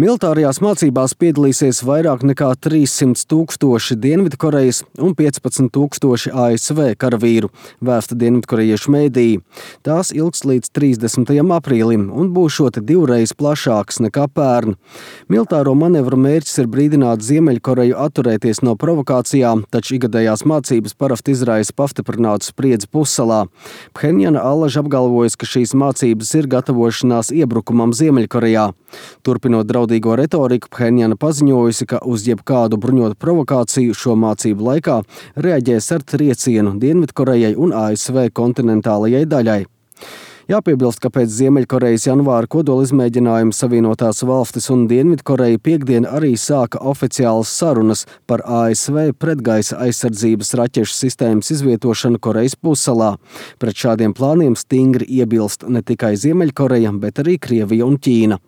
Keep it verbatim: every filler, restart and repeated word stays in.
Militārajās mācībās piedalīsies vairāk nekā trīssimt tūkstoši Dienvidkorejas un piecpadsmit tūkstoši A S V karavīru, vēsta dienvidkorejiešu mēdīji. Tās ilgs līdz trīsdesmitajam aprīlim un būšot divreiz plašāks nekā pērn. Militāro manevru mērķis ir brīdināt Ziemeļkoreju atturēties no provokācijām, taču ikgadējās mācības parasti izraisa pastiprinātu spriedzi pussalā. Phenjana allaž apgalvojas, ka šīs mācības ir gatavošanās iebrukumam Ziemeļkorejā. Turpinot draudīgo retoriku, Phenjana paziņojusi, ka uz jebkādu bruņotu provokāciju šo mācību laikā reaģēs ar triecienu Dienvidkorejai un A S V kontinentālajai daļai. Jāpiebilst, ka pēc Ziemeļkorejas janvāra kodolizmēģinājuma Savienotās valstis un Dienvidkoreja piekdien arī sāka oficiālas sarunas par A S V pretgaisa aizsardzības raķešu sistēmas izvietošanu Korejas pussalā. Pret šādiem plāniem stingri iebilst ne tikai Ziemeļkoreja, bet arī Krievija un Ķīna.